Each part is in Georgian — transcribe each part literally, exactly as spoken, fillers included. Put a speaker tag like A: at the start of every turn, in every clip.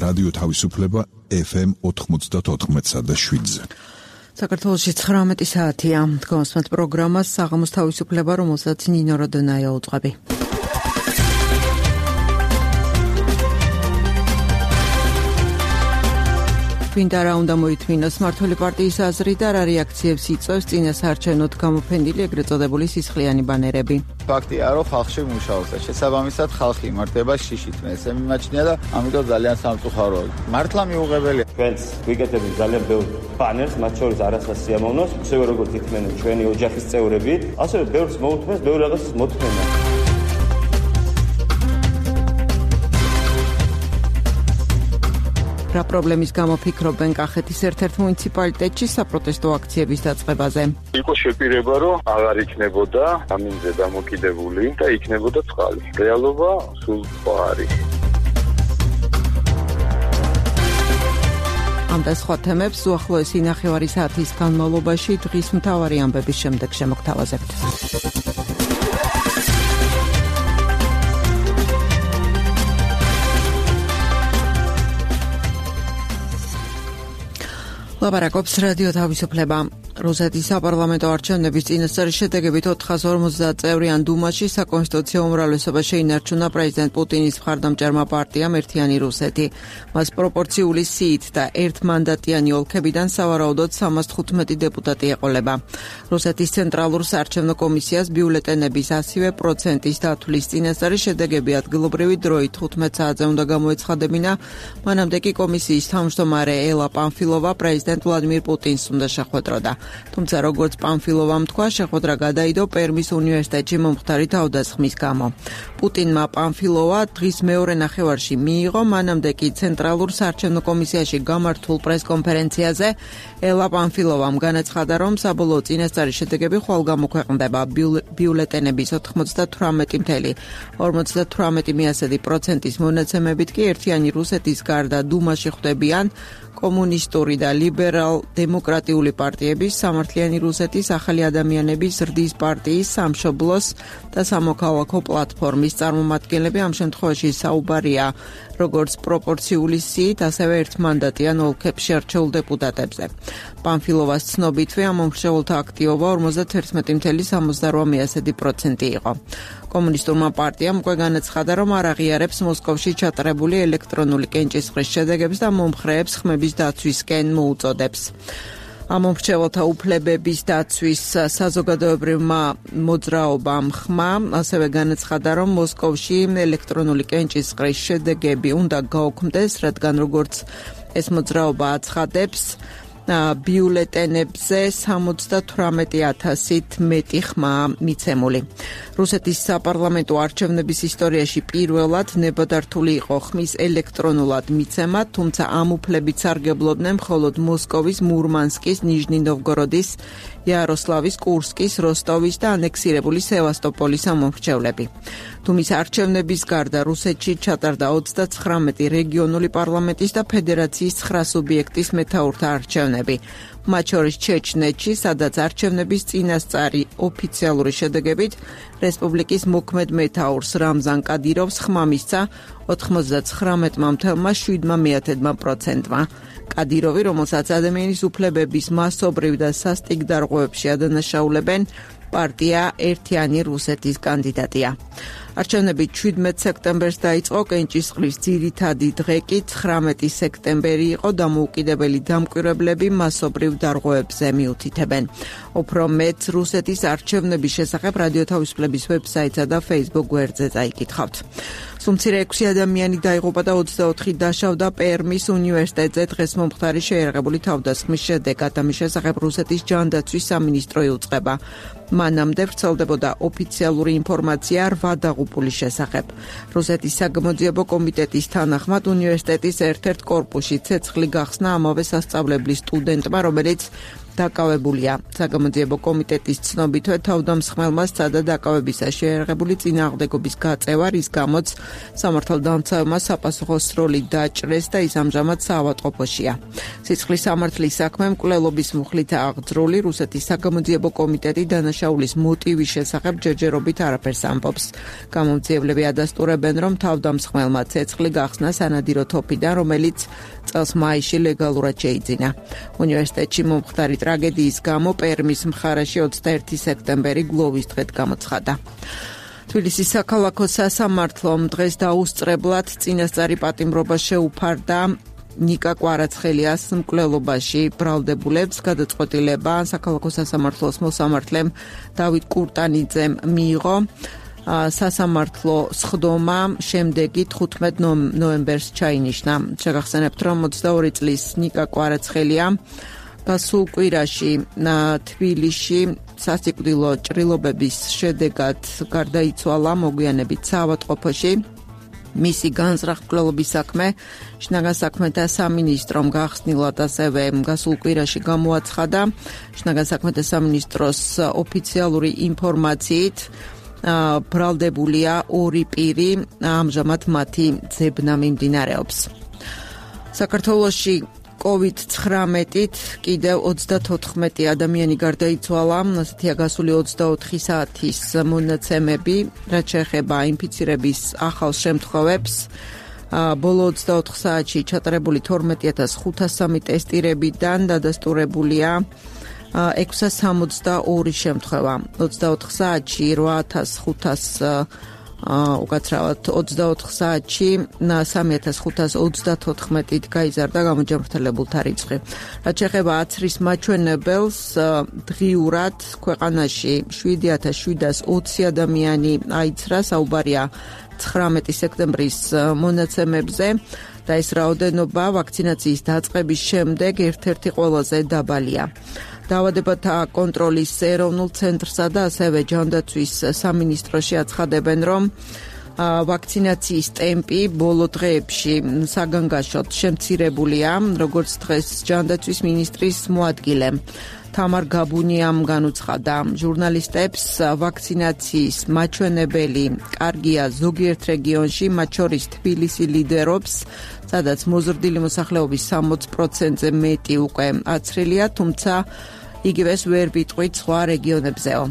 A: რადიო თავისუფლება ეფ ემ ოთხმოცდაოთხ და შვიდზე.
B: საქართველოში ცხრამეტი საათია. გონსმენთ პროგრამას საღამოს თავისუფლება, რომელსაც ნინო როდონაია უწყები. ვინდა რა უნდა მოითმინოს მმართველი პარტიის აზრი და რა რეაქციებს იწვევს წინასაარჩევნოდ გამოფენილი ეგრეთ წოდებული სისხლიანი ბანერები.
C: ფაქტია, რომ ხალხში მუშაობს და შესაბამისად ხალხი იმართება შიშით. მე ესე მიმაჩნია და ამიტომ ძალიან სამწუხაროა. მართლა მიუღებელია.
D: ჩვენს ვიკეთებთ ძალიან ბევრ ბანერს, მათ შორის არასდროს სიამოვნოს, ისევე როგორც ითმენენ ჩვენი ოჯახის წევრები, ასევე ბევრს მოუთმენს, ბევრ რაღაცას მოთმენა.
B: რა პრობლემის გამო ფიქრობენ კახეთის ერთ-ერთ მუნიციპალიტეტში საპროტესტო აქციების დაწყებაზე?
E: იყო შეპირება, რომ აღარ იქნებოდა ამინზე დამოკიდებული და იქნებოდა წყალი. რეალობა სულ სხვა არის.
B: ამ და სხვა თემებს უახლოესი ნახევარი საათის განმავლობაში დღის მთავარი ამბების შემდეგ შემოგთავაზებთ. ლაპარაკობს რადიო თავისუფლება. რუსეთის საპარლამენტო არჩევნების წინასწარი შედეგებით ოთხას ორმოცდაათ წევრიან დუმაში საკონსტიტუციო უმრავლესობა შეინარჩუნა პრეზიდენტ პუტინის მხარდამჭერმა პარტიამ ერთიანი რუსეთი. მას პროპორციული სიით და ერთმანდატიანი ოლქებიდან სავარაუდოდ სამას თხუთმეტი დეპუტატი ეყოლება. რუსეთის ცენტრალურ საარჩევნო კომისიას ბიულეტენების ასივე პროცენტის დათვლის წინასწარი შედეგები ადგილობრივი დროით თხუთმეტ საათზე უნდა გამოეცხადებინა. მანამდე კი კომისიის თავმჯდომარე ელა პანფილოვა პრეზიდენტ ვლადიმირ პუტინს უნდა შეხვედროდა. თუმცა როგორც პანფილოვამ თქვა, შეხვედრა გადაიდო პერმის უნივერსიტეტში მომხდარი თავდასხმის გამო. პუტინმა პანფილოვა დღის მეორე ნახევარში მიიღო, მანამდე კი ცენტრალურ საარჩევნო კომისიაში გამართულ პრესკონფერენციაზე ელა პანფილოვამ განაცხადა, რომ საბოლოო წინასწარი შედეგები ხვალ გამოქვეყნდება. ბიულეტენების ოთხმოცდათვრამეტი წუთი ორმოცდათვრამეტი პროცენტის მონაცემებით კი ერთიანი რუსეთის გარდა დუმაში ხვდებიან კომუნისტური და ლიბერალ-დემოკრატიული პარტიების, სამართლიანი რუსეთის, ახალი ადამიანების, ზრდის პარტიის, სამშობლოს და სამოქალაქო პლატფორმის წარმომადგენლები. ამ შემთხვევაში საუბარია როგორც პროპორციული სიით, ასევე ერთმანდატიან ოლქებში არჩეულ დეპუტატებზე. პანფილოვას ცნობითვე ამ მომხრეულთა აქტივობა ორმოცდაათერთმეტი წუთი სამოცდაოთხ პროცენტი იყო. კომუნისტურმა პარტიამ უკვე განაცხადა, რომ არ აღიარებს მოსკოვში ჩატარებული ელექტრონული კენჭისყრის შედეგებს და მომხრეებს ხმების დაცვისკენ მოუწოდებს. ამ მომხრეულთა უფლებების დაცვის საზოგადოებრივმა მოძრაობამ ხმა ასევე განაცხადა, რომ მოსკოვში ელექტრონული კენჭისყრის შედეგები უნდა გაუქმდეს, რადგან როგორც ეს მოძრაობა აცხადებს, ბიულეტენებზე სამოცდათვრამეტი ათასით მეტი ხმაა მიცემული. რუსეთის საპარლამენტო არჩევნების ისტორიაში პირველად ნებადართული იყო ხმის ელექტრონულად მიცემა, თუმცა ამ უფლებით სარგებლობდნენ მხოლოდ მოსკოვის, მურმანსკის, ნიჟნი-ნოვგოროდის, იაროსლავის, კურსკის, როსტოვის და ანექსირებული სევასტოპოლის ამომრჩევლები. დუმის არჩევნების გარდა რუსეთში ჩატარდა ოცდაცხრამეტი რეგიონული პარლამენტის და ფედერაციის ცხრა სუბიექტის მეთაურთა არჩევნები. მათ შორის ჩეჩნეთში, სადაც არჩევნების წინასწარი ოფიციალური შედეგებით რესპუბლიკის მოქმედ მეთაურს რამზან კადიროვს ხმა მისცა ოთხმოცდაცხრამეტი წუთი შვიდ პროცენტმა. კადიროვი, რომელსაც ადამიანის უფლებების მასობრივ და სასტიკ დარღვევებში ადანაშაულებენ, პარტია ერთიანი რუსეთის კანდიდატია. არჩევნები შვიდმეტ სექტემბერს დაიწყო, კენჭისყრის ძირითადი დღე კი ცხრამეტი სექტემბერი იყო, დამოუკიდებელი დამკვირვებლები მასობრივ დარღვევებზე მიუთითებენ. უფრო მეტ რუსეთის არჩევნების შესახებ რადიო თავისუფლების ვებსაიტსა და Facebook გვერდზე წაიკითხავთ. სუმცირე ექვსი ადამიანი დაიღუპა და ოცდაოთხი დაშავდა პერმის უნივერსიტეტზე დღეს მომხდარი შეიარაღებული თავდასხმის შედეგად. ამის შესახებ რუსეთის ჯანდაცვის სამინისტრო იუწყება. მანამდე ვრცელდებოდა ოფიციალური ინფორმაცია რვა დაღუპულის შესახებ. რუსეთის საგამოძიებო კომიტეტის თანახმად უნივერსიტეტის ერთ-ერთ კორპუსში ცეცხლი გახსნა ამავე სასწავლებლის სტუდენტმა, რომელიც დაკავებულია. საგამოძიებო კომიტეტის ცნობითვე თავდამსხმელმა სცადა დაკავებისა შეერაღებული წინააღმდეგობის გაწევა, რის გამოც სამართალდამცავმა საპასუხოს როლი დაჭრეს და ის ამჟამად საავადმყოფოშია. სიცხლის სამართლის საქმე მკვლელობის მუხლით აღძრული რუსეთის საგამოძიებო კომიტეტი დანაშაულის მოტივის შესახებ ჯერჯერობით არაფერს ამბობს. გამომძიებლები ადასტურებენ, რომ თავდამსხმელმა ცეცხლი გახსნა სანადირო თოფიდან, რომელიც წელს მაისში ლეგალურად შეიძინა. უნივერსიტეტში მომხდარი ტრაგედიის გამო პერმის მხარეში ოცდაერთი სექტემბერი გლოვის დღედ გამოცხადა. თბილისის საქალაქო სასამართლომ დღეს დაუსწრებლად წინასწარი პატიმრობა შეუფარდა ნიკა კვარაცხელიას მკვლელობაში ბრალდებულებს. გადაწყვეტილება საქალაქო სასამართლოს მოსამართლემ დავით კურტანიძემ მიიღო. სასამართლო სხდომა შემდეგი თხუთმეტ ნოემბერს ჩაინიშნა. შეგახსენებთ, რომ ოცდაორი წლის ნიკა კვარაცხელია გასულ კვირაში თბილისში სასიკვდილო ჭრილობების შედეგად გარდაიცვალა მოგვიანებით საავადმყოფოში. მისი განზრახ მკვლელობის საქმე შინაგან საქმეთა სამინისტრომ გახსნილად ასევე გასულ კვირაში გამოაცხადა. შინაგან საქმეთა სამინისტროს ოფიციალური ინფორმაციით ბრალდებულია ორი პირი, ამჟამად მათი ძებნა მიმდინარეობს. საქართველოში კოვიდ ცხრამეტით კიდევ ოცდათოთხმეტი ადამიანი გარდაიცვალა, ასეთია გასული ოცდაოთხი საათის მონაცემები, რაც შეეხება ინფიცირების ახალ შემთხვევებს. ბოლო ოცდაოთხ საათში ჩატარებული თორმეტი ათას ხუთას სამი ტესტირებიდან დადასტურებულია ექვსას სამოცდაორი შემთხვევა. ოცდაოთხ საათში რვა ათას ხუთას უკაცრავად ოცდაოთხ საათში სამი ათას ხუთას ოცდათოთხმეტით გაიზარდა გამოჯანმრთელებულთა რიცხვი. რაც შეეხება აცრის მაჩვენებელს, დღიურად ქვეყანაში შვიდი ათას შვიდას ოცი ადამიანი აიცრა, საუბარია ცხრამეტი სექტემბრის მონაცემებზე და ეს რაოდენობა ვაქცინაციის დაწყების შემდეგ ერთ-ერთი ყველაზე დაბალია. დაავადებათა კონტროლის ეროვნულ ცენტრსა და ასევე ჯანდაცვის სამინისტროში აცხადებენ, რომ ვაქცინაციის ტემპი ბოლო დღეებში საგანგაშოდ შემცირებულია, როგორც დღეს ჯანდაცვის მინისტრის მოადგილემ თამარ გაბუნიამ განუცხადა ჟურნალისტებს, ვაქცინაციის მაჩვენებელი კარგია ზოგიერთ რეგიონში, მათ შორის თბილისი ლიდერობს, სადაც მოზრდილი მოსახლეობის სამოცი პროცენტზე მეტი უკვე აცრილია, თუმცა იგივეს ვერ ვიტყვით სხვა რეგიონებზეო.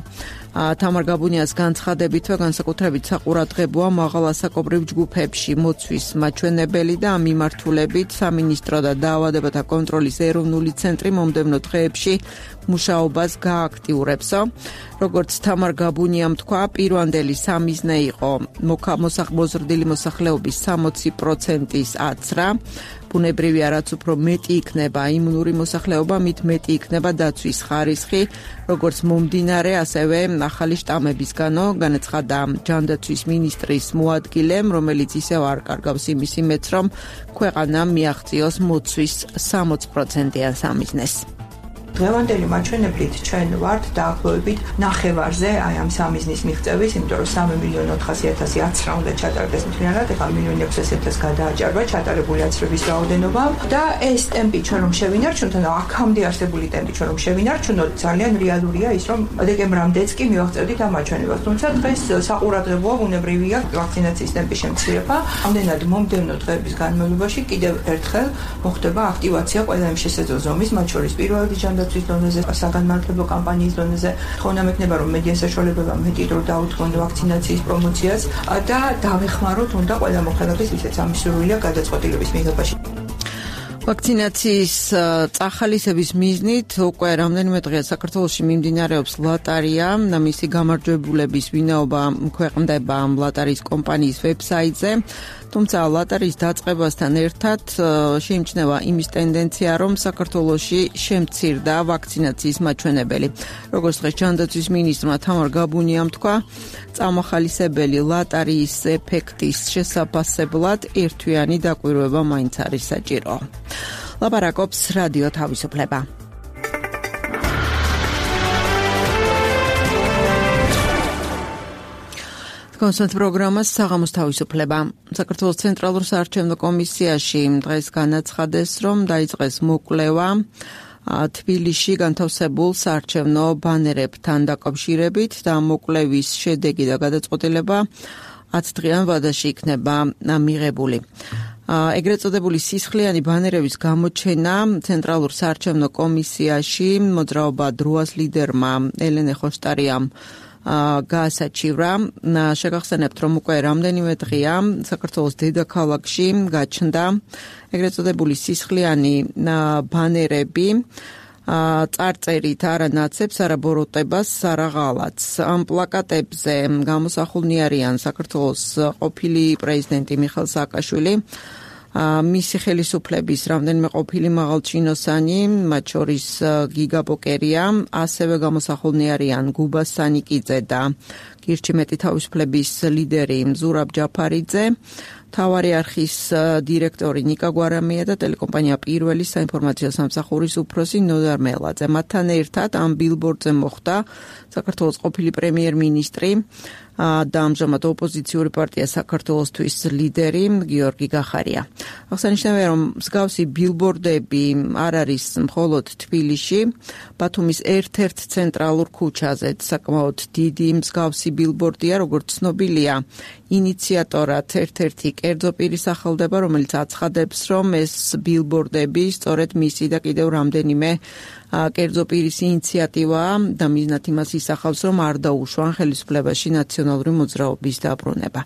B: თამარ გაბუნიას განცხადებითვე განსაკუთრებით საყურადღებოა მაღალასაკობრივ ჯგუფებში მოცვის მაჩვენებელი და ამ მიმართულებით სამინისტრო და დაავადებათა კონტროლის ეროვნული ცენტრი მომდევნო დღეებში მუშაობას გააქტიურებსო. როგორც თამარ გაბუნიამ თქვა, პირვანდელი სამიზნე იყო მოზრდილი მოსახლეობის სამოცი პროცენტის აცრა. ბუნებრივია, რაც უფრო მეტი იქნება იმუნური მოსახლეობა, მით მეტი იქნება დაცვის ხარისხი, როგორც მომდინარე, ასევე ახალი შტამებისგანო, განაცხადა ჯანდაცვის მინისტრის მოადგილემ, რომელიც ისევ არ კარგავს იმის იმედს, რომ ქვეყანამ მიაღწიოს მოცვის სამოცი პროცენტიან სამიზნეს.
F: დღევანდელი მაჩვენებლით ჩვენ ვართ დაახლოებით ნახევარზე აი ამ სამიზნის მიღწევის, იმიტომ რომ სამი მილიონი ოთხასი ათასი აცრა უნდა ჩატარდეს მთლიანად, ეხლა მილიონი ექვსასი ათასი გადააჭარბა ჩატარებული აცრების რაოდენობა და ეს ტემპი ჩვენ რომ შევინარჩუნოთ, ანუ აქამდე არსებული ტემპი ჩვენ რომ შევინარჩუნოთ, ძალიან რეალურია ის, რომ დეკემბრამდეც კი მივაღწევდით ამ მაჩვენებას. თუმცა დღეს საყურადღებოა ბუნებრივია ვაქცინაციის ტემპის შემცირება. ამდენად მომდევნო დღეების განმავლობაში კიდევ ერთხელ მოხდება აქტივაცია ყველა იმ შესაძლო ზომის, მათ შორის პირველი ჯანდაცვის დონეზე, საგანმანათლებლო კამპანიის დონეზე. თხოვნა მექნება, რომ მედია საშუალებებმა მეტი დრო დაუთმონ ვაქცინაციის პრომოციას და დავეხმაროთ უნდა ყველა მოხელების, ვისაც ამის სურვილია გადაწყვეტილების მიღებაში.
B: ვაქცინაციის წახალისების მიზნით უკვე რამდენიმე დღეა საქართველოში მიმდინარეობს ლატარია, მისი გამარჯვებულების ვინაობა ქვეყნდება ლატარიის კომპანიის ვებსაიტზე. თუმცა ლატარიის დაწყებასთან ერთად შეიმჩნევა იმის ტენდენცია, რომ საქართველოში შემცირდა ვაქცინაციის მაჩვენებელი. როგორც დღეს ჯანდაცვის მინისტრმა თამარ გაბუნიამ თქვა, წამახალისებელი ლატარიის ეფექტის შესაფასებლად ერთვიანი დაკვირვება მაინც არის საჭირო. ლაპარაკობს რადიო თავისუფლება. კონსულტ პროგრამას საღამოს თავისუფლება. საქართველოს ცენტრალურ საარჩევნო კომისიაში დღეს განაცხადეს, რომ დაიწყეს მოკვლევა თბილისში განთავსებულ საარჩევნო ბანერებთან დაკავშირებით და მოკვლევის შედეგი და გადაწყვეტილება ათდღიან ვადაში იქნება მიღებული. ეგრეთ წოდებული სისხლიანი ბანერების გამოჩენა ცენტრალურ საარჩევნო კომისიაში მოძრაობა დროას ლიდერმა ელენე ხოსტარიამ გაასაჩივრა. შეგახსენებთ, რომ უკვე რამდენიმე დღეა საქართველოს დედაქალაქში გაჩნდა ეგრეთ წოდებული სისხლიანი ბანერები წარწერით არა ნაცებს, არა ბოროტებას, არა ღალატს. ამ პლაკატებზე გამოსახულნი არიან საქართველოს ყოფილი პრეზიდენტი მიხეილ სააკაშვილი, მისი ხელისუფლების რამდენიმე ყოფილი მაღალჩინოსანი, მათ შორის გიგა ბოკერია, ასევე გამოსახულნი არიან გუბა სანიკიძე და გირჩიმეტი თავისუფლების ლიდერი ზურაბ ჯაფარიძე, მთავარი არხის დირექტორი ნიკა გვარამია და ტელეკომპანია პირველი საინფორმაციო სამსახურის უფროსი ნოდარ მელაძე. მათთან ერთად ამ ბილბორდზე მოხვდა საქართველოს ყოფილი პრემიერ-მინისტრი და ამჟამად ოპოზიციური პარტია საქართველოსთვის ლიდერი გიორგი გახარია. აღსანიშნავია, რომ მსგავსი ბილბორდები არ არის მხოლოდ თბილისში, ბათუმის ერთ-ერთ ცენტრალურ ქუჩაზე საკმაოდ დიდი მსგავსი ბილბორდია, როგორც ცნობილია, ინიციატორად ერთ-ერთი კერძო პირი სახელდება, რომელიც აცხადებს, რომ ეს ბილბორდები სწორედ მისი და კიდევ რამდენიმე კერძო პირის ინიციატივაა და მიზნად იმას ისახავს, რომ არ დაუშვან ხელისუფლებაში ნაციონალური მოძრაობის დაბრუნება.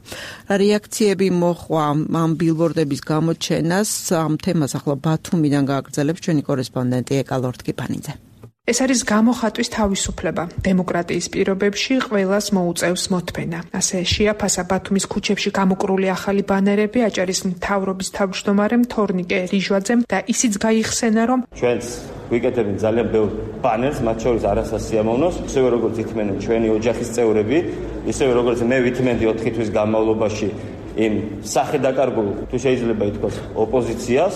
B: რეაქციები მოხვა ამ ბილბორდების გამოჩენას, ამ თემას ახლა ბათუმიდან გააგრძელებს ჩვენი კორესპონდენტი ეკალორთ კიფანიძე.
G: ეს არის გამოხატვის თავისუფლება. დემოკრატიის პირობებში ყველას მოუწევს მოთმენა. ასე შეაფასა ბათუმის ქუჩებში გამოკრული ახალი ბანერები აჭარის მთავრობის თავმჯდომარემ თორნიკე ლიჟვაძემ და ისიც გაიხსენა, რომ
D: ჩვენს ვიკეთებთ ძალიან ბევრ ბანერს, მათ შორის არასასიამოვნოს, ისევე როგორც ითმენენ ჩვენი ოჯახის წევრები, ისევე როგორც მე ვითმენდი ოთხი თვის განმავლობაში იმ სახედაკარგულ, თუ შეიძლება ითქვას, ოპოზიციას.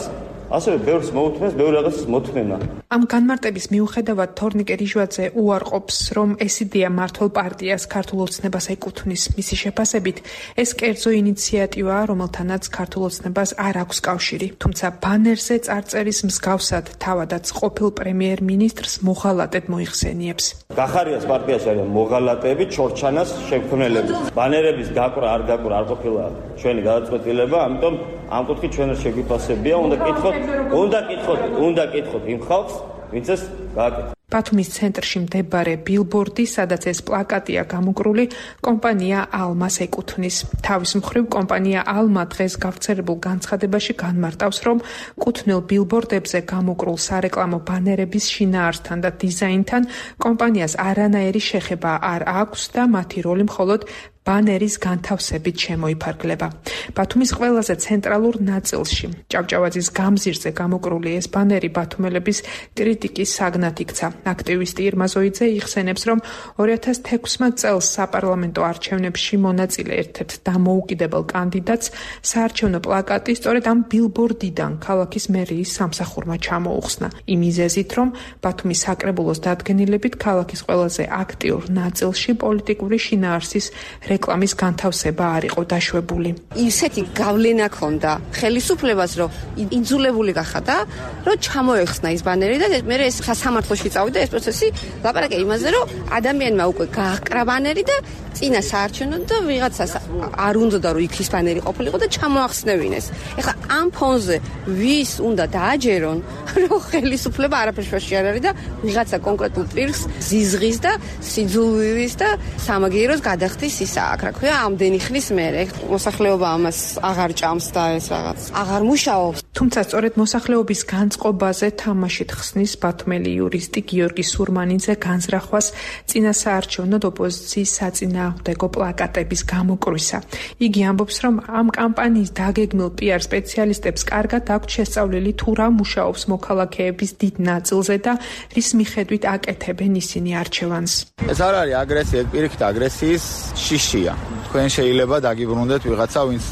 D: ასევე ბევრს მოუთმენს, ბევრ რაღაცას მოთმენა.
G: ამ განმარტების მიუხედავად თორნიკე ლიჟვაძე უარყოფს, რომ ეს იდეა მართლ პარტიას ქართულ ოცნებას ეკუთვნის. მისი შეფასებით, ეს კერძო ინიციატივაა, რომელთანაც ქართულ ოცნებას არ აქვს კავშირი. თუმცა ბანერზე წარწერის მსგავსად თავადაც ყოფილ პრემიერ-მინისტრს მოღალატედ მოიხსენიებს.
D: გახარიას პარტიაში არიან მოღალატეები, ჩორჩანას შემქმნელები. ბანერების გაკვრა არ გაკვრა არ ყოფილა ჩვენი გადაწყვეტილება, ამიტომ ამ კუთხით ჩვენ შეგვიფასებია, უნდა კითხოთ, უნდა კითხოთ, უნდა კითხოთ იმ ხალხს, ვინც ეს გააკეთა.
G: ბათუმის ცენტრში მდებარე ბილბორდი, სადაც ეს პლაკატია გამოკრული, კომპანია ალმას ეკუთვნის. თავის მხრივ კომპანია ალმა დღეს გავრცელებულ განცხადებაში განმარტავს, რომ კუთვნილ ბილბორდებზე გამოკრულ სარეკლამო ბანერების შინაარსთან და დიზაინთან კომპანიას არანაირი შეხება არ აქვს და მათი როლი მხოლოდ ბანერის განთავსებით შემოიფარგლება. ბათუმის ყველაზე ცენტრალურ ნაწილში, ჭავჭავაძის გამზირზე გამოკრული ეს ბანერი ბათუმელების კრიტიკის საგნად იქცა. აქტივისტი ირმა ზოიძე იხსენებს, რომ ორი ათას თექვსმეტ წელს საპარლამენტო არჩევნებში მონაწილე ერთ-ერთ დამოუკიდებელ კანდიდატს საარჩევნო პლაკატი სწორედ ამ ბილბორდიდან ქალაქის მერიის სამსახურმა ჩამოუხსნა. იმ მიზეზით, რომ ბათუმის საკრებულოს დადგენილებით ქალაქის ყველაზე აქტიურ ნაწილში პოლიტიკური შინაარსის რეკლამის განთავსება არ იყო დაშვებული.
H: ისეთი გავლენა ქონდა ხელისუფლებას, რომ იძულებული გახადა, რომ ჩამოეხსნა ის ბანერი და მე ეს სასამართლოში წავიდა ეს პროცესი, ლაპარაკი იმაზე, რომ ადამიანმა უკვე გააკრა ბანერი და წინა საარჩევნოდ და ვიღაცას არ უნდა რომ იქ ის ბანერი ყოფილიყო და ჩამოახსნევინეს. ეხლა ამ ფონზე ვის უნდა დააჯერონ, რომ ხელისუფლება არაფერში არ არის და ვიღაცა კონკრეტულ პირს ზიზღის და სიძულვილის და სამაგიეროს გადახდის ისა. აქ რა ქვია, ამდენი ხნის მერე მოსახლეობა ამას აღარ ჭამს და ეს რაღაც აღარ მუშაობს.
G: თუმცა სწორედ მოსახლეობის განწყობაზე თამაშით ხსნის ბათუმელი იურისტი გიორგი სურმანიძე განზრახვას წინა საარჩევნოდ ოპოზიციის საწინააღმდეგო პლაკატების გამოკრვისა. იგი ამბობს, რომ ამ კამპანიის დაგეგმილ პიარ სპეციალისტებს კარგად აქვთ შესწავლილი თუ რა მუშაობს მოქალაქეების დიდ ნაწილზე და რის მიხედვით აკეთებენ ისინი არჩევანს.
C: ეს არ არის აგრესია, პირიქით აგრესიის შიშია. თქვენ შეიძლება დაგიბრუნდეთ ვიღაცა, ვინც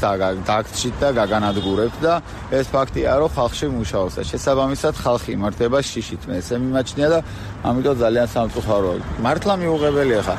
C: დაგცით და გაგანადგურებთ და ეს ფაქტია, რომ ხალხში მუშაობს და შესაბამისად ხალხი იმართება შიშით. მე ესე მიმაჩნია და ამიტომ ძალიან სამწუხაროა. მართლა მიუღებელია ხა.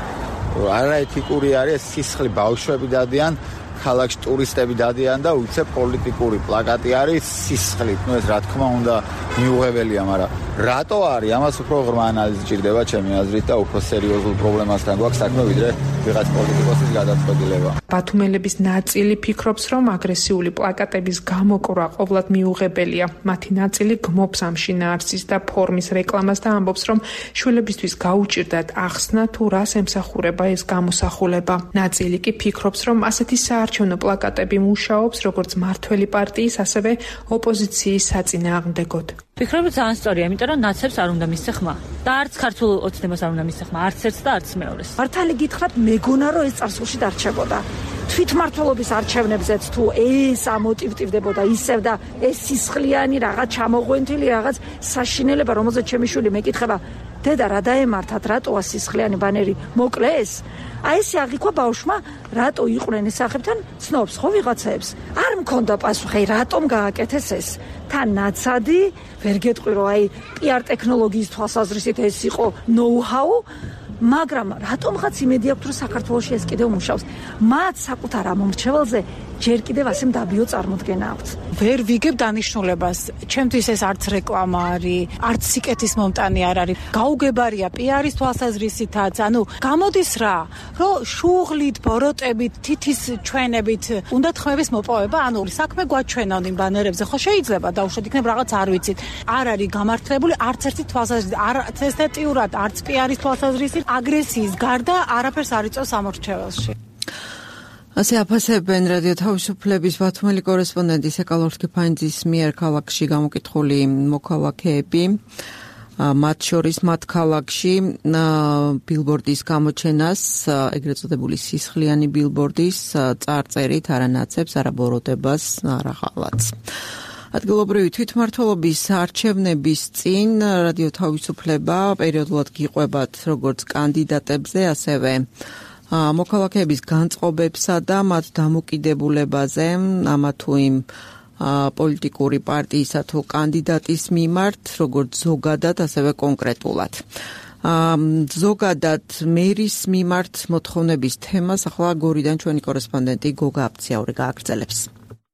C: არაეთიკური არის სისხლი, ბავშვები დადიან, ქალაქში ტურისტები დადიან და უცებ პოლიტიკური პლაკატი არის სისხლით. ნუ ეს რა თქმა უნდა მიუღებელია, მაგრამ რატო არის? ამას უფრო ღრმა ანალიზი ჭირდება ჩემი აზრით და უფრო სერიოზულ პრობლემასთან გვაქვს საქმე, ვიდრე ვიღაც პოლიტიკოსის გადაწყვეტილება.
G: ბათუმელების ნაწილი ფიქრობს, რომ აგრესიული პლაკატების გამოკვრა ყოვლად მიუღებელია. მათი ნაწილი გმობს ამ შინაარსის და ფორმის რეკლამას და ამბობს, რომ შვილებისთვის გაუჭირდათ ახსნა თუ რას ემსახურება ეს გამოსახულება. ნაწილი კი ფიქრობს, რომ ასეთი საარჩევნო პლაკატები მუშაობს როგორც მართველი პარტიის, ასევე ოპოზიციის საწინააღმდეგოდ.
I: ვფიქრობ, ძალიან სწორია, იმიტომ რომ ნაცებს არ უნდა მისცე ხმა. და არც ქართულ ოცნებას არ უნდა მისცე ხმა, არც ერთს და არც მეორეს.
J: მართალი გითხრათ, მეგონა რომ ეს წარსულში დარჩებოდა. თვითმმართველობის არჩევნებზეც თუ ეს ამოტივტივდებოდა ისევ და ეს სისხლიანი რაღაც ჩამოღვენთილი რაღაც საშინელება, რომელზეც ჩემი შვილი მეკითხება, დედა რა დაემართათ, რატოა სისხლიანი ბანერი მოკლეს? აი ესე აღიქვა ბავშვმა, რატო იყვნენ ეს სახებთან ცნობს ხო ვიღაცებს? არ მქონდა პასუხი, რატომ გააკეთეს ეს? თან ნაცადი, ვერ გეტყვი რომ აი პიარ ტექნოლოგიის თვალსაზრისით ეს იყო ნოუ-ჰაუ, მაგრამ რატომღაც იმედი აქვს რომ საქართველოში ეს კიდევ მუშაობს. მათ საკუთარ ამომრჩეველზე ჯერ კიდევ ასე მდაბიო წარმოდგენა აქვს.
K: ვერ ვიგებ დანიშნულებას. ჩემთვის ეს არც რეკლამა არის, არც სიკეთის მომტანი არ არის. გაუგებარია პიარის თვალსაზრისითაც, ანუ გამოდის რა, რომ შუღლით, ბოროტებით, თითის ჩვენებით უნდა ხმების მოპოვება, ანუ საქმე გვაჩვენონ იმ ბანერებზე, ხო შეიძლება დაუშვათ იქნებ რაღაც არ ვიცით. არ არის გამართლებული არც ერთი თვალსაზრისით, არც ესთეტიურად, არც პიარის თვალსაზრისით, აგრესიის გარდა არაფერს არ იწევს ამორჩეველში.
B: ასე აფასებენ რადიო თავისუფლების ბათუმელი კორესპონდენტი სეკალორსკი ფაინძის მიერ ქალაქში გამოკითხული მოქალაქეები. მათ შორის მათ ქალაქში ბილბორდის გამოჩენას, ეგრეთ წოდებული სისხლიანი ბილბორდის წარწერით არანაცებს, არაბოროტებას, არაღალატს. ადგილობრივი თვითმმართველობის არჩევნების წინ რადიო თავისუფლება პერიოდულად გიყვებათ როგორც კანდიდატებზე, ასევე მოქალაქეების განწყობებსა და მათ დამოკიდებულებაზე, ამა თუ იმ პოლიტიკური პარტიისა თუ კანდიდატის მიმართ, როგორც ზოგადად, ასევე კონკრეტულად. ზოგადად მერის მიმართ მოთხოვნების თემას ახლა გორიდან ჩვენი კორესპონდენტი გოგა აფციაური გააგრძელებს.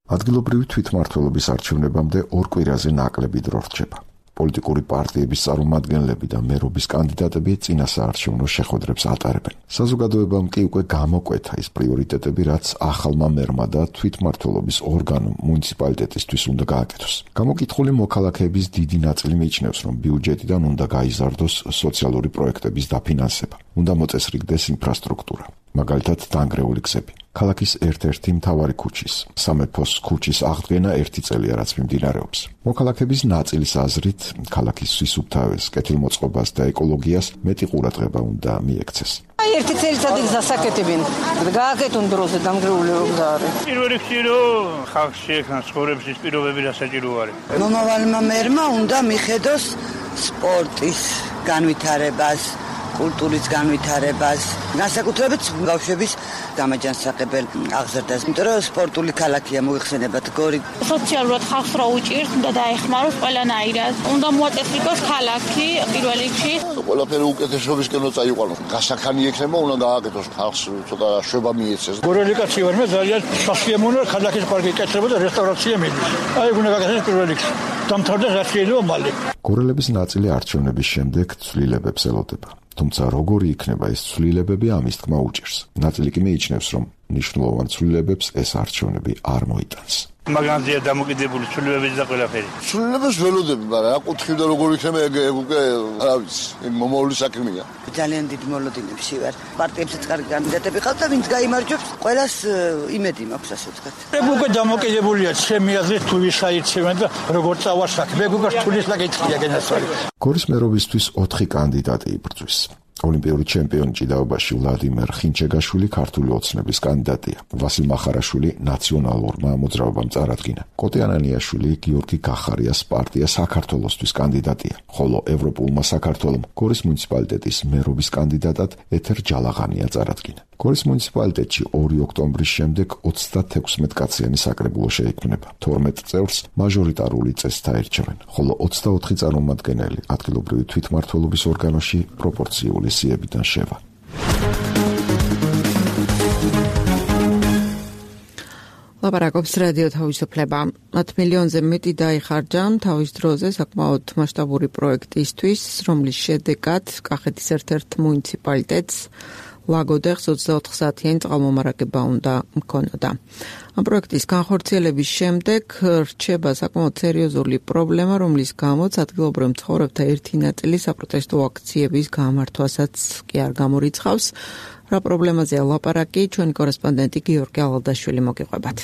A: ადგილობრივი თვითმმართველობის არჩევნებამდე ორ კვირაზე ნაკლები დრო რჩება. პოლიტიკური პარტიების წარმომადგენლები და მერობის კანდიდატები წინა საარჩევნო შეხვედრებს ატარებენ. საზოგადოებამ კი უკვე გამოკვეთა ის პრიორიტეტები, რაც ახალმა მერმა და თვითმმართველობის ორგანომ მუნიციპალიტეტისთვის უნდა გააკეთოს. გამოკითხული მოქალაქეების დიდი ნაწილი მიიჩნევს, რომ ბიუჯეტიდან უნდა გაიზარდოს სოციალური პროექტების დაფინანსება, უნდა მოწესრიგდეს ინფრასტრუქტურა, მაგალითად დანგრეული გზები. ქალაქის ერთ-ერთი მთავარი ქუჩის, სამეფოს ქუჩის აღდგენა ერთი წელია, რაც მიმდინარეობს. მოქალაქეების ნაწილის აზრით, ქალაქის სისუფთავეს, კეთილმოწყობას და ეკოლოგიას მეტი ყურადღება უნდა მიექცეს.
L: აი ერთი წელიწადი გასაკეთებენ. გააკეთონ დროზე დამგრეული გზა არის.
M: პირველ რიგში რომ ხალხს შეექმნა ცხოვრების პირობები და საჭირო არის.
N: მომავალმა მერმა უნდა მიხედოს სპორტის განვითარებას, კულტურის განვითარებას, განსაკუთრებით ბავშვების გამაჯანსაღებელ აღზრდას, იმიტომ რომ სპორტული ქალაქია მოიხსენებათ გორი.
O: სოციალურად ხალხს რა უჭირს, უნდა დაეხმაროს ყველანაირად. უნდა მოაწესრიგოს ქალაქი პირველ რიგში.
P: ყველაფერი უკეთესობისკენ უნდა წაიყვანოს. გასახანი ექნება, უნდა გააკეთოს ხალხს ცოტა შვება მიეცეს.
M: გორელიკაცია ვარ მე ძალიან სასიამოვნო ქალაქის პარკი კეთდება და რესტავრაცია მიდის. აი უნდა გაკეთდეს პირველ რიგში. დამთავრდეს რაც შეიძლება მალე.
A: გორელების ნაწილი არჩევნების შემდეგ ცვლილებებს ელოდება. თუმცა როგორი იქნება ეს ცვლილებები, ამის თქმა უჭირს. ნაწილი კი მიიჩნევს, რომ მნიშვნელოვან ცვლილებებს ეს არჩევნები არ მოიტანს.
M: მაგანზეა დამოკიდებული ცვლილებები და ყველაფერი.
P: ცვლილებებს ველოდები, მაგრამ რა კუთხი და როგორი იქნება ეგ უკვე რა ვიცი, მომავალი საქმეა.
N: ძალიან დიდ მოლოდინებში ვარ. პარტიებსაც კარგი კანდიდატები ყავთ და ვინც გაიმარჯვებს, ყველას იმედი მაქვს, ასე ვთქვათ.
M: ეგ უკვე დამოკიდებულია ჩემი აზრით, თუ ვის აირჩევენ და როგორ წავა საქმე. ეგ უკვე თulis საკითხია გენაცვალი.
A: გორის მერობისთვის ოთხი კანდიდატი იბრძვის. ოლიმპიური ჩემპიონი ჭიდაობაში ვლადიმერ ხინჩეგაშვილი ქართული ოცნების კანდიდატია. ვასილ მახარაშვილი ნაციონალურმა მოძრაობამ წარადგინა. კოტე ანანიაშვილი გიორგი გახარიას პარტია საქართველოსთვის კანდიდატია, ხოლო ევროპულმა საქართველომ გორის მუნიციპალიტეტის მერობის კანდიდატად ეთერ ჯალაღანია წარადგინა. გორის მუნიციპალიტეტში ორი ოქტომბრის შემდეგ ოცდათექვსმეტ კაციანი საკრებულო შეიქმნება. თორმეტ წევრს მაჟორიტარული წესთა ერჩევენ, ხოლო ოცდაოთხი წარმომადგენელი ადგილობრივი თვითმმართველობის ორგანოში პროპორციული სიებიდან შევა.
B: ლაპარაკობს რადიო თავისუფლება. ათ მილიონზე მეტი დაიხარჯა თავის დროზე საკმაოდ მასშტაბური პროექტისთვის, რომლის შედეგად კახეთის ერთ-ერთ მუნიციპალიტეტს ლაგოდეხს ოცდაოთხ საათიანი წყალმომარაგება უნდა მქონოდა. ამ პროექტის განხორციელების შემდეგ რჩება საკმაოდ სერიოზული პრობლემა, რომლის გამოც ადგილობრივ მცხოვრებთა ერთი ნაწილი საპროტესტო აქციების გამართვასაც კი არ გამორიცხავს. რა პრობლემაზეა ლაპარაკი, ჩვენი კორესპონდენტი გიორგი ალადაშვილი მოგიყვებათ.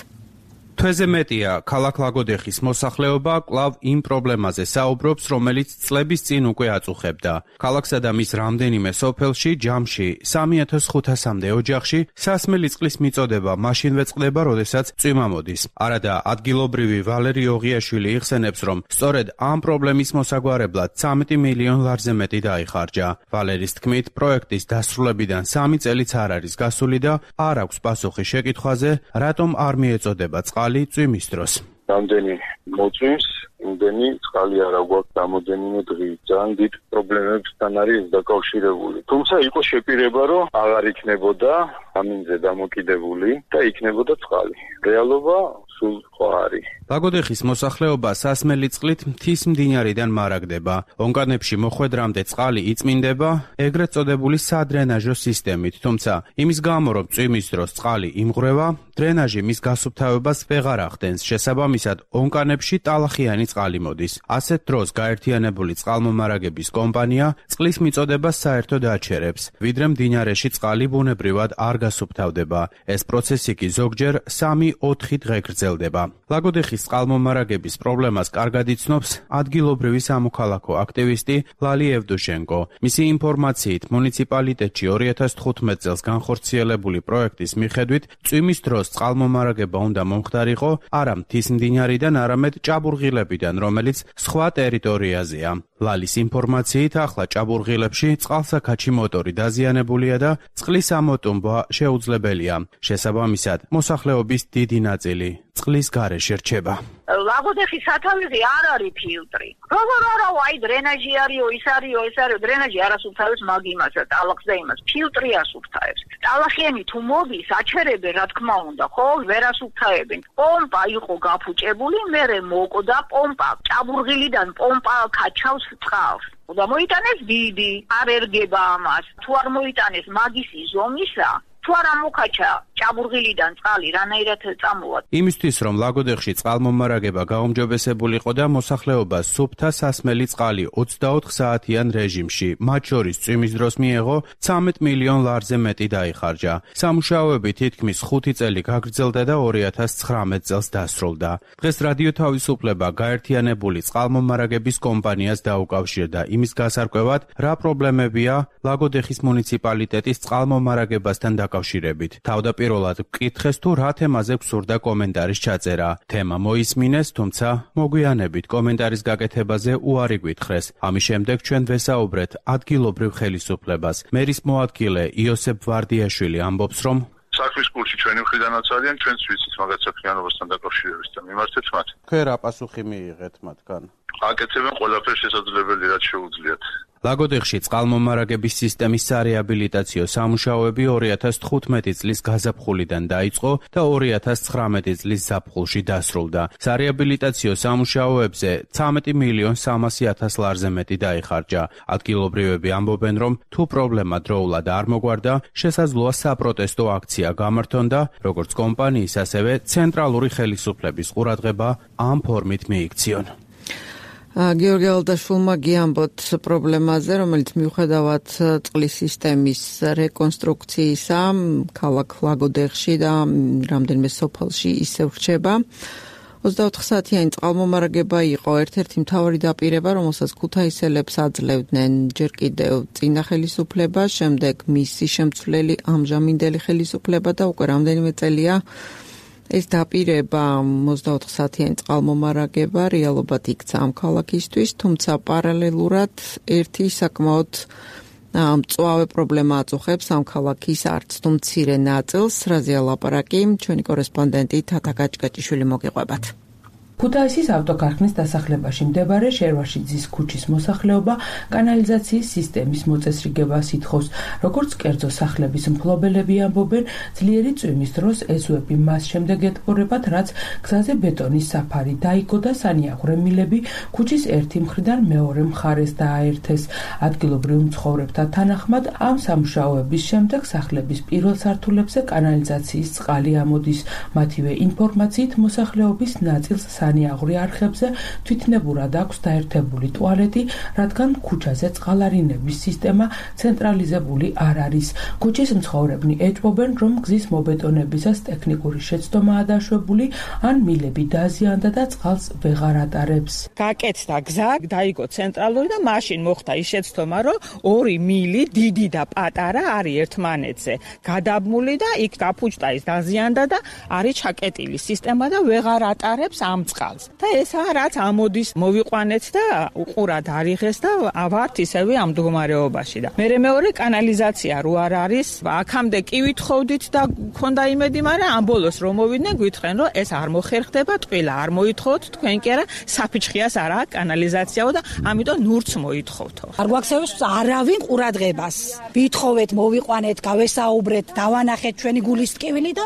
Q: თვეზე მეტია, ქალაქ ლაგოდეხის მოსახლეობა კვლავ იმ პრობლემაზე საუბრობს, რომელიც წლების წინ უკვე აწუხებდა. ქალაქსა და მის რამდენიმე სოფელში, ჯამში, სამი ათას ხუთასამდე ოჯახში სასმელი წყლის მიწოდება მაშინვე წყდება, როდესაც წვიმა მოდის. არადა ადგილობრივი ვალერი ოღიაშვილი იხსენებს, რომ სწორედ ამ პრობლემის მოსაგვარებლად ცამეტი მილიონ ლარზე მეტი დაიხარჯა. ვალერის თქმით, პროექტის დასრულებიდან სამი წელიც არ არის გასული და არ აქვს პასუხი შეკითხვაზე, რატომ არ მიეწოდება წყალი წვიმის დროს.
E: რამდენი მოწვიმს, იმდენი წყალი არ აგვაქვს რამოდენიმე დღით. ძალიან დიდ პრობლემებთან არის დაკავშირებული. თუმცა იყო შეპირება, რომ აღარ იქნებოდა ამინზე დამოკიდებული და იქნებოდა წყალი. რეალობა სულ სხვა არის.
Q: ლაგოდეხის მოსახლეობა სასმელი წყლით მთის მდინარიდან მარაგდება. ონკანებში მოხვედრამდე წყალი იწმინდება ეგრეთ წოდებული სადრენაჟო სისტემით, თუმცა იმის გამო, რომ წვიმის დროს წყალი იმღვრევა, დრენაჟი მის გასუფთავებას ვეღარ ახდენს. შესაბამისად, ონკანებში ტალახიანი წყალი მოდის. ასეთ დროს გაერთიანებული წყალმომარაგების კომპანია წყლის მიწოდებას საერთოდ აჩერებს, ვიდრე მდინარეში წყალი ბუნებრივად არ გასუფთავდება. ეს პროცესი კი ზოგჯერ სამი ოთხი დღე გრძელდება. ლაგოდეხის წყალმომარაგების პრობლემას კარგად იცნობს ადგილობრივი სამოქალაქო აქტივისტი ლალი ევდუშენკო. მისი ინფორმაციით, მუნიციპალიტეტში ორი ათას თხუთმეტ წელს განხორციელებული პროექტის მიხედვით, წვიმის დროს წყალმომარაგება უნდა მომხდარიყო არა მთის მდინარიდან, არამედ ჭაბურღილებიდან, რომელიც სხვა ტერიტორიაზეა. ლალის ინფორმაციით, ახლა ჭაბურღილებში წყალსაქაჩი მოტორი დაზიანებულია და წყლის ამოტუმბვა შეუძლებელია. შესაბამისად, მოსახლეობის დიდი ნაწილი წყლის გარეშე რჩება.
R: ლაგოდეხის სათავეზე არ არის ფილტრი. როგორ არა, აი დრენაჟი არისო, ის არისო, ეს არისო, დრენაჟი არასუფთავებს მაგ იმას და ტალახს და იმას. ფილტრი ასუფთავებს. ტალახიანი თუ მოდის, აჩერებენ, რა თქმა უნდა, ხო, ვერ ასუფთავებენ. პომპა იყო გაფუჭებული, მერე მოკდა პომპა, ჭაბურღილიდან პომპა ქაჩავს წყალს. და მოიტანეს დიდი, არ ერგება ამას. თუ არ მოიტანეს მაგისი ზომისა, თუ არ ამოქაჩა ჭაბურღილიდან წყალი, რანაირად წამოვა.
Q: იმისთვის, რომ ლაგოდეხში წყალმომარაგება გაუმჯობესებულიყო და მოსახლეობა სუფთა სასმელი წყალი ოცდაოთხ საათიან რეჟიმში, მათ შორის წვიმის დროს მიეღო, ცამეტ მილიონ ლარზე მეტი დაიხარჯა. სამუშაოები თითქმის ხუთი წელი გაგრძელდა და ორი ათას ცხრამეტ წელს დასრულდა. დღეს რადიო თავისუფლება გაერთიანებული წყალმომარაგების კომპანიას დაუკავშირდა იმის გასარკვევად, რა პრობლემებია ლაგოდეხის მუნიციპალიტეტის წყალმომარაგებასთან დაკავშირებით. თავდაპირველად ვკითხეს, თუ რა თემაზე გსურდა კომენტარის ჩაწერა. თემა მოისმინეს, თუმცა მოგვიანებით კომენტარის გაკეთებაზე უარი გვითხრეს. ამის შემდეგ ჩვენ ვესაუბრეთ ადგილობრივ ხელისუფლებას. მერის მოადგილე იოსებ ვარდიაშვილი ამბობს, რომ
E: საქმის კურსი ჩვენი მხრიდანაც არიან, ჩვენც ვიცით მაგათ საქმიანობასთან დაკავშირებით და მიმართეთ მათ.
Q: თქვენ რა პასუხი მიიღეთ მათგან?
E: აკეთებენ ყველაფერს შესაძლებელი, რაც შეუძლიათ.
Q: ლაგოდეხში წყალმომარაგების სისტემის სარეაბილიტაციო სამუშაოები ორი ათას თხუთმეტი წლის გაზაფხულიდან დაიწყო და ორი ათას ცხრამეტი წლის ზაფხულში დასრულდა. სარეაბილიტაციო სამუშაოებზე ცამეტი მილიონ სამასი ათას ლარზე მეტი დაიხარჯა. ადგილობრივები ამბობენ, რომ თუ პრობლემა დროულად არ მოგვარდა, შესაძლოა საპროტესტო აქცია გამართონ და როგორც კომპანიის, ასევე ცენტრალური ხელისუფლების ყურადღება ამ ფორმით მიიქციონ.
B: გიორგი ალადაშვილმა გიამბოთ პრობლემაზე, რომელიც მიუხედავად წყლის სისტემის რეკონსტრუქციისა, ქალაქ ლაგოდეხში და რამდენიმე სოფელში ისევ რჩება. ოცდაოთხ საათიანი წყალმომარაგება იყო ერთ-ერთი მთავარი დაპირება, რომელსაც ქუთაისელებს აძლევდნენ ჯერ კიდევ წინა ხელისუფლება, შემდეგ მისი შემცვლელი ამჟამინდელი ხელისუფლება და უკვე რამდენიმე წელია ეს დაპირება ოცდაოთხ საათიანი წყალმომარაგება რეალობად იქცა ამ ქალაქისთვის, თუმცა პარალელურად ერთი საკმაოდ მწვავე პრობლემა აწუხებს ამ ქალაქის არც თუ მცირე ნაწილს, რაზეა ლაპარაკი, ჩვენი კორესპონდენტი თათა გაჭკაჭიშვილი მოგიყვებათ.
S: ქუთაისის ავტოქარხნის დასახლებაში მდებარე შერვაშიძის ქუჩის მოსახლეობა კანალიზაციის სისტემის მოწესრიგებას ითხოვს. როგორც კერძო სახლების მფლობელები ამბობენ, ძლიერი წვიმის დროს ეზოები მას შემდეგ ეტყორებათ, რაც გზაზე ბეტონის საფარი დაიგო და სანიაღვრემილები ქუჩის ერთი მხრიდან მეორე მხარეს დააერთეს. ადგილობრივ მცხოვრებთა თანახმად, ამ სამუშაოების შემდეგ სახლების პირველ სართულებზე კანალიზაციის წყალი ამოდის. მათივე ინფორმაციით მოსახლეობის ნაწილს სანიაღვრე არხებზე თვითნებურად აქვს დაერთებული ტუალეტი, რადგან ქუჩაზე წყალარინების სისტემა ცენტრალიზებული არ არის. ქუჩის მცხოვრებნი ეჭვობენ, რომ გზის მობეტონებისას ტექნიკური შეცდომაა დაშვებული, ან მილები დაზიანდა და წყალს ვეღარ ატარებს.
T: გაკეთდა გზა, დაიგო ცენტრალური და მაშინ მოხდა ის შეცდომა, რომ ორი მილი, დიდი და პატარა არის ერთმანეთზე გადაბმული და იქ გაფუჭდა ის დაზიანდა და არის ჩაკეტილი სისტემა და ვეღარ ატარებს ამ წყალს. და ესაა რაც ამოდის მოვიყვანეთ და უყურად არიღეს და ავართ ისევე ამ მდგომარეობაში და მე მეორე კანალიზაცია რო არ არის, აქამდე კი ვითხოვდით და ქონდა იმედი, მაგრამ ამ ბოლოს რომ მოვიდნენ გვითხრენ, რომ ეს არ მოხერხდება, ტყილა არ მოითხოვთ, თქვენ კი არა, საფიჩხიას არა კანალიზაციაო და ამიტომ ნურც მოითხოვთო.
K: არ გვაქცევს არავინ ყურადღებას. ვითხოვეთ, მოვიყვანეთ, გავესაუბრეთ, დავანახეთ ჩვენი გულის ტკივილი და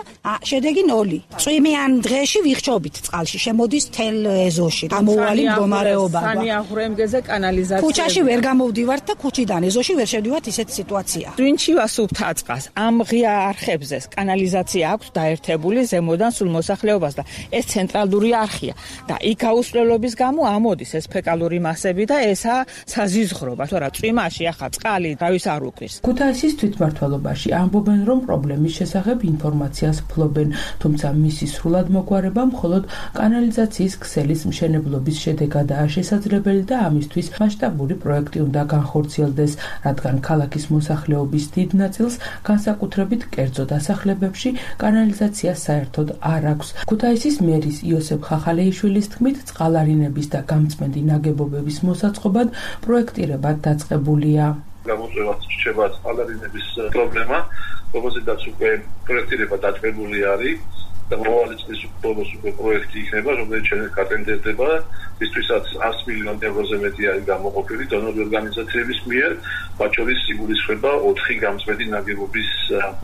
K: შედეგი ნოლი. წვიმიან დღეში ვიხშობით წყალში, შემოდის თელ ეზოში. გამოუვალი მდგომარეობა.
T: სანიაღვრემგეზე კანალიზაცია.
K: ქუჩაში ვერ გამოვდივართ და ქუჩიდან ეზოში ვერ შევდივართ, ისეთ სიტუაცია.
T: twin-ში ვასუფთა წყალს. ამ ღია არხებზე კანალიზაცია აქვს დაერთებული ზემოდან სულ მოსახლეობას და ეს ცენტრალური არხია და იქ აუსვლელობის გამო ამოდის ეს ფეკალური მასები და ესა საზიზღრობა, თორემ წვიმაში ახლა წყალი დავის არ უკრის.
S: ქუთაისის თვითმმართველობაში ამბობენ, რომ პრობლემის შესახებ ინფორმაციას ფლობენ, თუმცა მისი სრულად მოგვარება მხოლოდ კანალიზაციის ქსელის მშენებლობის შედეგადაა შესაძლებელი და ამისთვის მასშტაბური პროექტი უნდა განხორციელდეს, რადგან ქალაქის მოსახლეობის დიდ ნაწილს განსაკუთრებით კერძო დასახლებებში კანალიზაცია საერთოდ არ აქვს. ქუთაისის მერის იოსებ ხახალეიშვილის თქმით, წყალარინების და გამწმენდი ნაგებობების მოსაწყობად პროექტირება დაწყებულია.
U: გამოწვევას რჩება წყალარინების პრობლემა, რომელზედაც უკვე პროექტირება დაწყებული არის და მომავალი წლის ბოლოს უკვე პროექტი იქნება, რომელიც შემდეგ გატენდერდება, მისთვისაც ას მილიონი ევროზე მეტი არის გამოყოფილი დონორი ორგანიზაციების მიერ, მათ შორის იგულისხმება ოთხი გამწმენდი ნაგებობის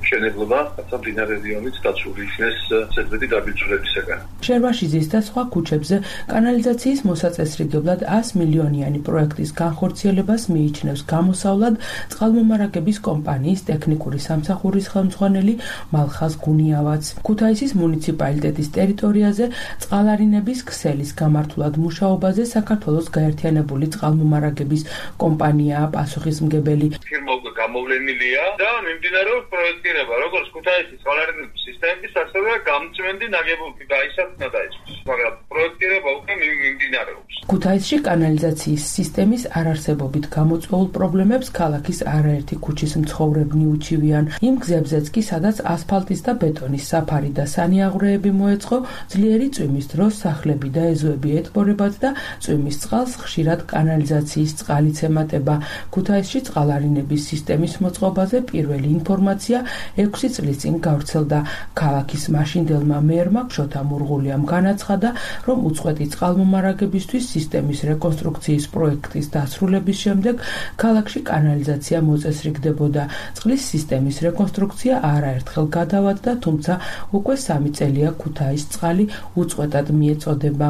U: მშენებლობა, რათა მდინარე რიონით დაცული იქნეს ზედმეტი დაბინძურებისაგან.
S: შერვაშიძის და სხვა ქუჩებზე კანალიზაციის მოსაწესრიგებლად ას მილიონიანი პროექტის განხორციელებას მიიჩნევს გამოსავლად წყალმომარაგების კომპანიის ტექნიკური სამსახურის ხელმძღვანელი მალხაზ გუნიავაც. ქუთაისის მუნიციპალიტეტის ტერიტორიაზე წყალარინების ქსელის გამართულად მუშაობაზე საქართველოს გაერთიანებული წყალმომარაგების კომპანიაა პასუხისმგებელი.
U: ფირმა უკვე გამოვლენილია და მიმდინარეობს პროექტირება, როგორც ქუთაისის წყალარინების სისტემის, ასევე გამწმენდი ნაგებობები გაისახნა დაიწყოს, მაგრამ პროექტირება უკვე მიმდინარეობს.
S: ქუთაისში კანალიზაციის სისტემის არარსებობით გამოწვეულ პრობლემებს ქალაქის არაერთი ქუჩის მცხოვრებნი უჩივიან. იმ გზებზეც კი, სადაც ასფალტის და ბეტონის საფარი და სანიაღვრეები მოეწყო, ძლიერი წვიმის დროს სახლები და ეზოები ეტბორებათ და წვიმის წყალს ხშირად კანალიზაციის წყალიც ემატება. ქუთაისში წყალარინების სისტემის მოწყობაზე პირველი ინფორმაცია ექვსი წლის წინ გავრცელდა. ქალაქის მაშინდელმა მერმა ქშოთა მურღულიამ განაცხადა, რომ უწყვეტი წყალმომარაგებისთვის სისტემის რეკონსტრუქციის პროექტის დასრულების შემდეგ ქალაქში კანალიზაცია მოწესრიგდებოდა. წყლის სისტემის რეკონსტრუქცია არაერთხელ გადავადდა, თუმცა უკვე სამი წელია ქუთაის წყალი უწყვეტად მიეწოდება.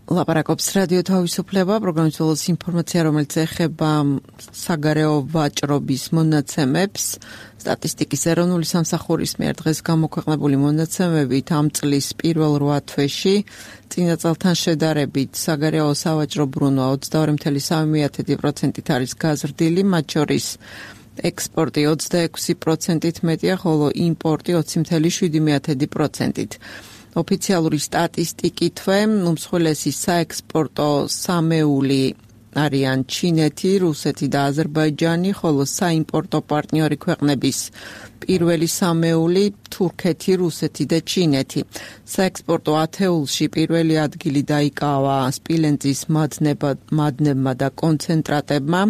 B: ლაპარაკობს რადიო თავისუფლება, პროგრამის ბოლოს ინფორმაცია, რომელიც ეხება საგარეო ვაჭრობის მონაცემებს. სტატისტიკის ეროვნული სამსახურის მიერ დღეს გამოქვეყნებული მონაცემებით ამ წლის პირველ რვა თვეში წინა წელთან შედარებით საგარეო სავაჭრო ბრუნვა ოცდაორი წამლ სამი პროცენტით არის გაზრდილი, მათ შორის ექსპორტი ოცდაექვსი პროცენტით მეტია, ხოლო იმპორტი ოცი წამლ შვიდი პროცენტით. ოფიციალური სტატისტიკითვე უმსხვილესი საექსპორტო სამეული არიან ჩინეთი, რუსეთი და აზერბაიჯანი, ხოლო საიმპორტო პარტნიორი ქვეყნების პირველი სამეული თურქეთი, რუსეთი და ჩინეთი. საექსპორტო ათეულში პირველი ადგილი დაიკავა სპილენძის მადნებმა და კონცენტრატებმა,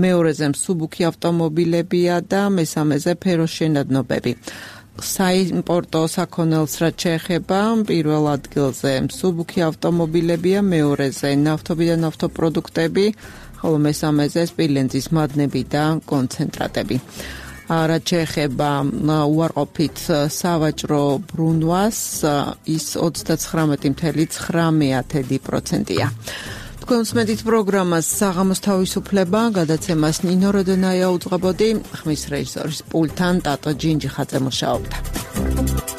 B: მეორეზე მსუბუქი ავტომობილებია და მესამეზე ფეროშენადნობები. საიმპორტო საქონელს რაც შეეხება, პირველ ადგილზე მსუბუქი ავტომობილებია, მეორეზე ნავთობი და ნავთობპროდუქტები, ხოლო მესამეზე სპილენძის მადნები და კონცენტრატები. რაც შეეხება უარყოფით სავაჭრო ბრუნვას, ის ოცდაცხრამეტი ფاصლე ცხრამეტი პროცენტია. თქვენ უსმენთ პროგრამას საღამოს თავისუფლება, გადაცემას ნინო როდონაია უძღვებოდი, ხმის რეჟისორის პულტთან ტატო ჯინჯიხაძე მუშაობდა.